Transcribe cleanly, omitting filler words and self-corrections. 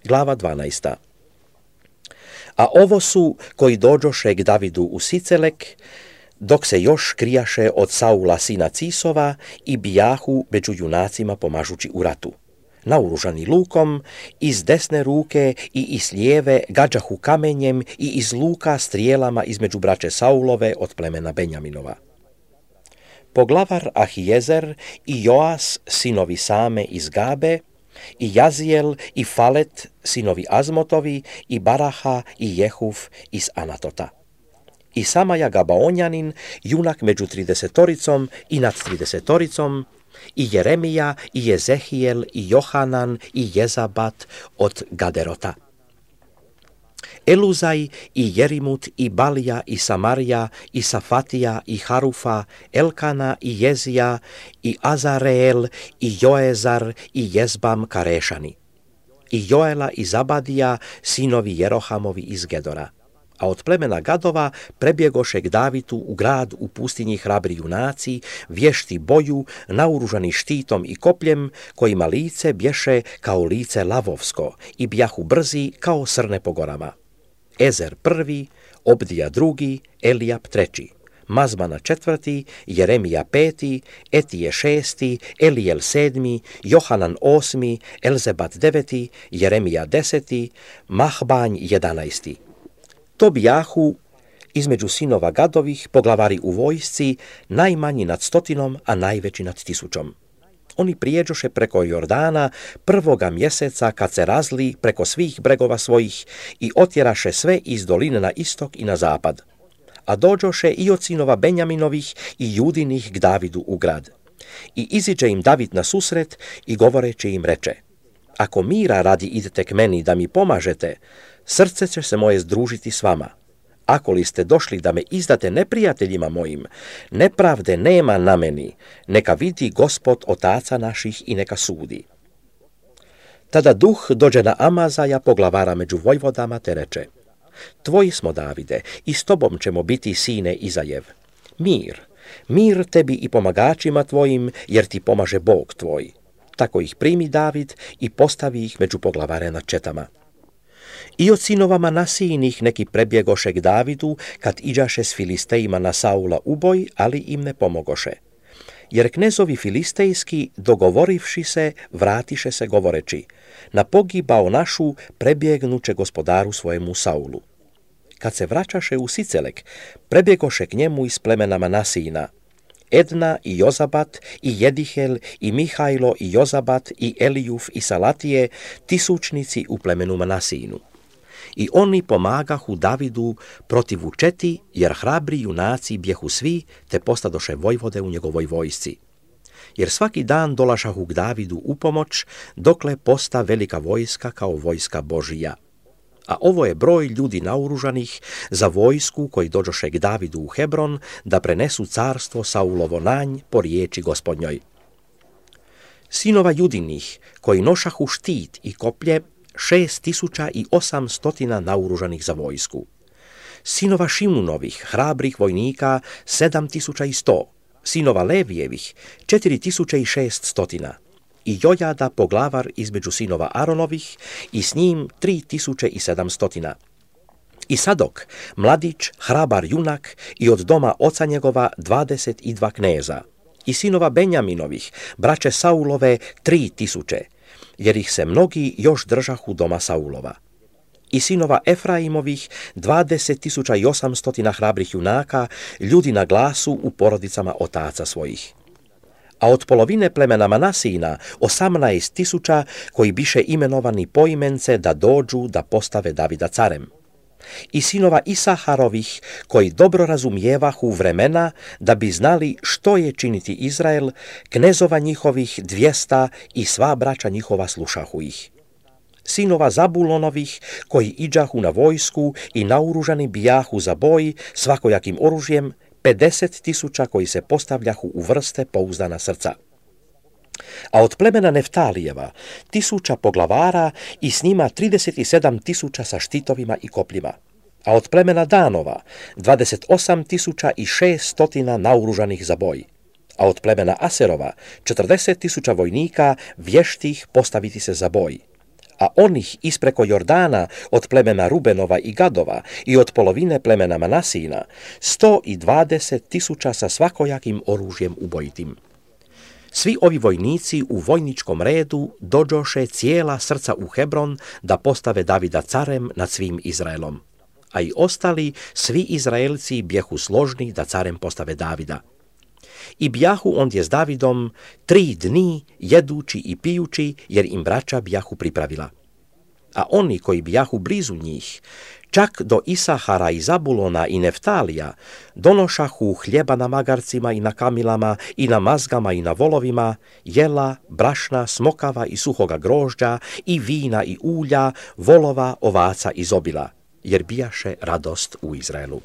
Glava 12. A ovo su koji dođoše k Davidu u Sicelek, dok se još krijaše od Saula sina Cisova i bijahu među junacima pomažući u ratu. Naoružani lukom, iz desne ruke i iz lijeve gađahu kamenjem i iz luka strijelama između braće Saulove od plemena Benjaminova. Poglavar Ahijezer i Joas, sinovi Same iz Gabe, i Jazijel i Falet, sinovi Azmotovi, i Baraha i Jehuf iz Anatota. I Samaja Gabaonjanin, junak među 30 i nad 30, i Jeremija i Jezehijel i Johanan i Jezabat od Gaderota. Eluzaj i Jerimut i Balija i Samarija i Safatija i Harufa, Elkana i Jezija i Azareel i Joezar i Jezbam Karešani. I Joela i Zabadija, sinovi Jerohamovi iz Gedora. A od plemena Gadova prebjegoše k Davidu u grad u pustinji hrabri junaci, vješti boju, naoružani štitom i kopljem, kojima lice bješe kao lice lavovsko i bjahu brzi kao srne po gorama. Ezer prvi, Obdija drugi, Elijab treći, Mazmana četvrti, Jeremija peti, Etije šesti, Elijel sedmi, Johanan osmi, Elzebat deveti, Jeremija deseti, Mahbanj 11. To bijahu između sinova Gadovih poglavari u vojsci, najmanji nad 100, a najveći nad 1000. Oni prijeđoše preko Jordana 1. mjeseca kad se razli preko svih bregova svojih i otjeraše sve iz doline na istok i na zapad. A dođoše i od sinova Benjaminovih i Judinih k Davidu u grad. I iziđe im David na susret i govoreći im reče: ako mira radi idete k meni da mi pomažete, srce će se moje združiti s vama. Ako li ste došli da me izdate neprijateljima mojim, nepravde nema na meni, neka vidi Gospod otaca naših i neka sudi. Tada duh dođe na Amazaja, poglavara među vojvodama, te reče: tvoji smo, Davide, i s tobom ćemo biti, sine Izajev. Mir, mir tebi i pomagačima tvojim, jer ti pomaže Bog tvoj. Tako ih primi David i postavi ih među poglavare nad četama. I od sinova Manasijinih neki prebjegoše k Davidu, kad iđaše s Filistejima na Saula uboj, ali im ne pomogoše. Jer knezovi filistejski, dogovorivši se, vratiše se govoreći: na pogibao našu prebjegnuće gospodaru svojemu Saulu. Kad se vraćaše u Sicelek, prebjegoše k njemu iz plemena Manasijina Edna i Jozabat i Jedihel i Mihajlo i Jozabat i Elijuf i Salatije, tisućnici u plemenu Manasijinu. I oni pomagahu Davidu protivu četi, jer hrabri junaci bjehu svi, te postadoše vojvode u njegovoj vojsci. Jer svaki dan dolašahu k Davidu u pomoć, dokle posta velika vojska kao vojska Božija. A ovo je broj ljudi naoružanih za vojsku koji dođoše k Davidu u Hebron, da prenesu carstvo Saulovo nanj po riječi Gospodnjoj. Sinova Judinih, koji nošahu štit i koplje, 6800 naoružanih za vojsku. Sinova Šimunovih, hrabrih vojnika, 7100. Sinova Levijevih, 4600. I Jojada, poglavar između sinova Aronovih, i s njim 3700. I Sadok, mladić, hrabar junak, i od doma oca njegova 22 kneza. I sinova Benjaminovih, braće Saulove, 3000, jer ih se mnogi još držahu doma Saulova. I sinova Efraimovih, 20.800 hrabrih junaka, ljudi na glasu u porodicama otaca svojih. A od polovine plemena Manasijina 18.000 koji biše imenovani poimence da dođu da postave Davida carem. I sinova Isaharovih, koji dobro razumijevahu vremena da bi znali što je činiti Izrael, knezova njihovih 200 i sva braća njihova slušahu ih. Sinova Zabulonovih, koji iđahu na vojsku i naoružani bijahu za boj svakojakim oružjem, 50.000 koji se postavljahu u vrste pouzdana srca. A od plemena Neftalijeva 1000 poglavara i s njima 37.000 sa štitovima i kopljima. A od plemena Danova 28.600 naoružanih za boj. A od plemena Aserova 40.000 vojnika vještih postaviti se za boj. A onih ispreko Jordana od plemena Rubenova i Gadova i od polovine plemena Manasina 120.000 sa svakojakim oružjem ubojitim. Svi ovi vojnici u vojničkom redu dođoše cijela srca u Hebron da postave Davida carem nad svim Izraelom. A i ostali, svi Izraelci bjehu složni da carem postave Davida. I bjahu ondje s Davidom 3 dni jedući i pijući, jer im braća bjahu pripravila. A oni koji bjahu blizu njih, čak do Isahara i Zabulona i Neftalija, donošahu hljeba na magarcima i na kamilama i na mazgama i na volovima, jela, brašna, smokava i suhoga grožđa i vina i ulja, volova, ovaca i zobila, jer bijaše radost u Izraelu.